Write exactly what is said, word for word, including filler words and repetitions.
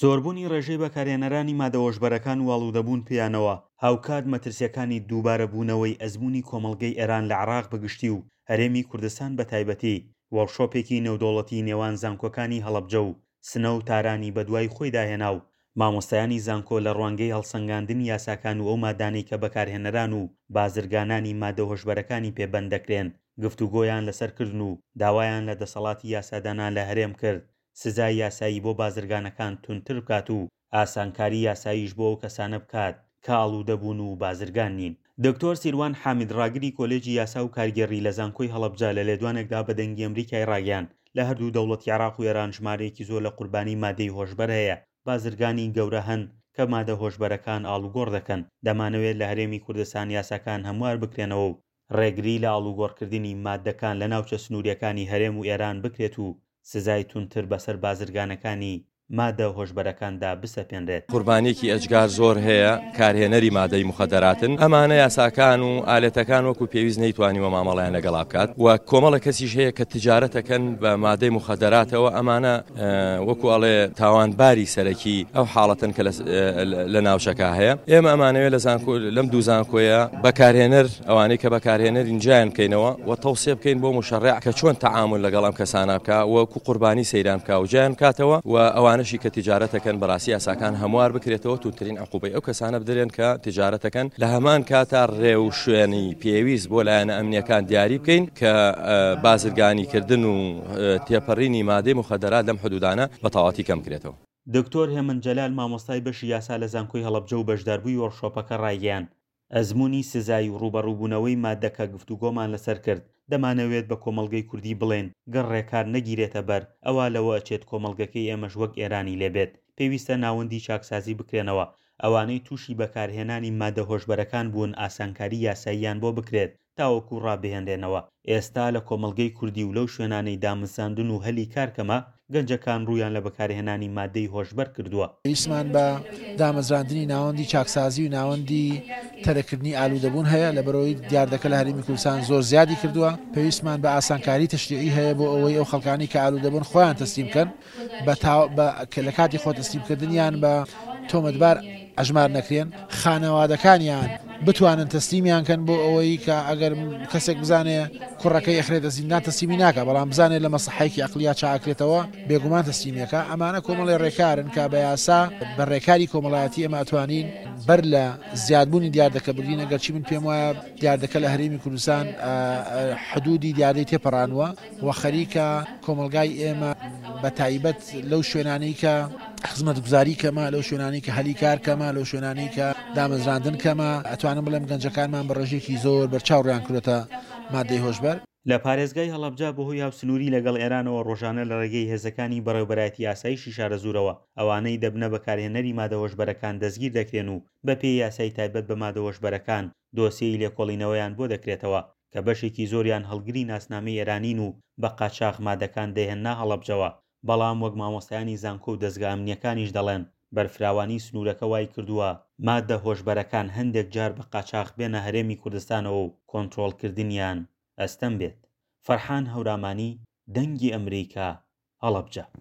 زۆربوونی ڕێژەی بەکارهێنەرانی مادە هۆشبەرەکان و ئاڵوودەبوون پێیانەوە، هاوکات مەترسییەکانی دووبارەبوونەوەی ئەزموونی کۆمەڵگەی ئێران لە عێراق بەگشتی و هەرێمی کوردستان بەتایبەتی، وۆرکشۆپێکی نێودەوڵەتی نێوان زانکۆکانی هەڵەبجە و سنە و تارانی بەدوای خۆیدا هێنا و مامۆستایانی زانکۆ لە ڕوانگەی هەڵسەنگاندنی یاساکان و ئەو مادانەی کە بەکارهێنەران و بازرگانانی مادە هۆشبەرەکانی پێ بەند دەکرێن گفتوگۆیان لەسەر کردن و داوایان لە دەسەڵاتی یاسادانان لە هەرێم کرد سزای یاسایی بۆ بازرگانەکان توندتر بکات و ئاسانکاری یاساییش بۆ ئەو کەسانە بکات کە ئاڵوودە بوون و بازرگان نین. دکتۆر سیروان حامید ڕاگری کۆلێجی یاسا و کارگێڕی لە زانکۆی هەڵەبجە لە لێدوانێکدا بە دەنگی ئەمریکای ڕاگەیاند لە هەردوو دەوڵەتی عێراق و ئێران ژمارەیەکی زۆر لە قوربانی مادەی هۆشبەر هەیە، بازرگانی گەورە هەن کە مادە هۆشبەرەکان ئاڵوگۆڕ دەکەن، دەمانەوێت لە هەرێمی کوردستان یاساکان هەموار بکرێنەوە و ڕێگری لە ئاڵوگۆڕکردنی ماددەکان لە ناوچە سنوورییەکانی هەرێم و ئێران بکرێت و سزای توندتر بەسەر بازرگانەکانی مادە هۆشبەرەکاندا بسەپێنرێت. قوربانیەکی ئەجگار زۆر هەیە کارهێنەری مادەی موخەدەراتن، ئەمانە یاساکان و ئالێتەکان وەکو پێویست نەیتوانیوە مامەڵەیان لەگەڵا بکات و کۆمەڵە کەسیش هەیە کە تجارەتەکەن بە مادەی موخەدەراتەوە، ئەمانە وەکو ئەڵێ تاوانباری سەرەکی ئەو حاڵەتەن کە لە ناوچەکە هەیە. ئێمە ئەمانەوێت لە زانکۆ لەم دوو زانکۆیە بەکارهێنەر ئەوانەی کە بەکارهێنەرین جیایان بکەینەوە و تەوسیە بکەین بۆ مشەرع کە چۆن تەعامل لەگەڵ ئەم کەسانە بکا وەکو قوربانی سەیران بکا و جیایان بکاتەوە و ئەوانەشی کە تجارەتەکەن بەڕاستی یاساکان هەموار بکرێتەوە توندترین عقوبەی ئەو کەسانە بدرێن کە تجارەتەکەن، لە هەمان کاتا ڕێ و شوێنی پێویست بۆ لایەنە ئەمنیەکان دیاری بکەین کە بازرگانیکردن و تێپەڕینی مادەی مخەدەرات لەم حدودانە بە تەواوەتی کەم بکرێتەوە. دکتۆر هێمن جەلال مامۆستای بەشی یاسا لە زانکۆی هەڵەبجە و بەشداربووی وۆرکشۆپەکە ڕایگەیاند، ئەزموونی سزایی و ڕووبەڕووبوونەوەی ماددەکە گفتوگۆمان لەسەر کرد، دەمانەوێت بە کۆمەڵگەی کوردی بڵێین گەر ڕێکار نەگیرێتە بەر ئەوا لەوە ئەچێت کۆمەڵگەکەی ئێمەش وەک ئێرانی لێ بێت، پێویستە ناوەندی چاکسازی بکرێنەوە، ئەوانەی تووشی بەکارهێنانی ماددە هۆشبەرەکان بوون ئاسانکاری یاساییان بۆ بکرێت تاوەکو ڕابهێنرێنەوە. ئێستا لە کۆمەڵگەی کوردی و لەو شوێنانەی دامەزراندن و هەلی کار کەمە، گەنجەکان ڕوویان لە بەکارهێنانی ماددەی هۆشبەر کردووە. پێویستمان بە دامەزراندنی ناوەندی چاکسازی و ناوەندی تەرککردنی ئالوودەبوون هەیە، لەبەرئەوەی دیاردەکە لە هەرێمی کوردستان زۆر زیادی کردووە. پێویستمان بە ئاسانکاری تەشریعی هەیە بۆ ئەوەی ئەو خەڵکانی کە ئالوودەبوون خۆیان تەسلیم بکەن، لە کاتی خۆ تەسلیمکردنیان بە تۆمەتبار ئەژمار نەکرێن، خانەوادەکانیان بتوانن تەسلیمیان کەن بۆ ئەوەی کە ئەگەر کەسێک بزانێ کوڕەکەی ئەخرێتە زیندان تەسلیمی ناکە، بەڵام بزانێت لە مەسەحەیەکی عەقڵیا چاکرێتەوە بێگومان تەسلیمیەکە. ئەمانە کۆمەڵی ڕێکارن کە بە یاسا بە ڕێکاری کۆمەڵایەتی ئێمە ئەتوانین بەر لە زیادبوونی دیاردەکە بگرین. ئەگەرچی من پێم وایە دیاردەکە لە هەرێمی کوردستان حدودی دیاردەی تێپەڕانوە و خەریکە کۆمەڵگای ئێمە بە تایبەت لەو شوێنانەی کە خزمەتگوزاری کەمە، لەو شوێنانەی کە هەلی کار کەمە، لەو شوێنانەی کە دامەزراندن کەمە، ئەتوانم بڵێم گەنجەکانمان بە ڕێژێکی زۆر بەرچاو ڕویان کردووەتە مادەی هۆشبەر. لە پارێزگای هەڵەبجە بەهۆی هاوسنووری لەگەڵ ئێرانەوە ڕۆژانە لە ڕێگەی هێزەکانی بەڕێوەبەرایەتی ئاسایشی شارەزوورەوە ئەوانەی دەبنە بەکارهێنەری مادە هۆشبەرەکان دەستگیر دەکرێن و بەپێی یاسای تایبەت بە مادە هۆشبەرەکان دۆسیەی لێکۆڵینەوەیان بۆ دەکرێتەوە کە بەشێکی زۆریان هەڵگری ناسنامەی ئێرانین و بە قاچاخ مادەکان دەهێننا هەڵەبجەوە، بەڵام وەک مامۆستایانی زانکۆ و دەزگا ئەمنییەکانیش دەڵێن بەرفراوانی سنوورەکە وای کردووە مادە هۆشبەرەکان هەندێک جار بە قاچاخ بێنە هەرێمی کوردستانەوە و کۆنترۆڵکردنیان ئەستەم بێت. فەرحان هەورامانی، دەنگی ئەمریکا، هەڵەبجە.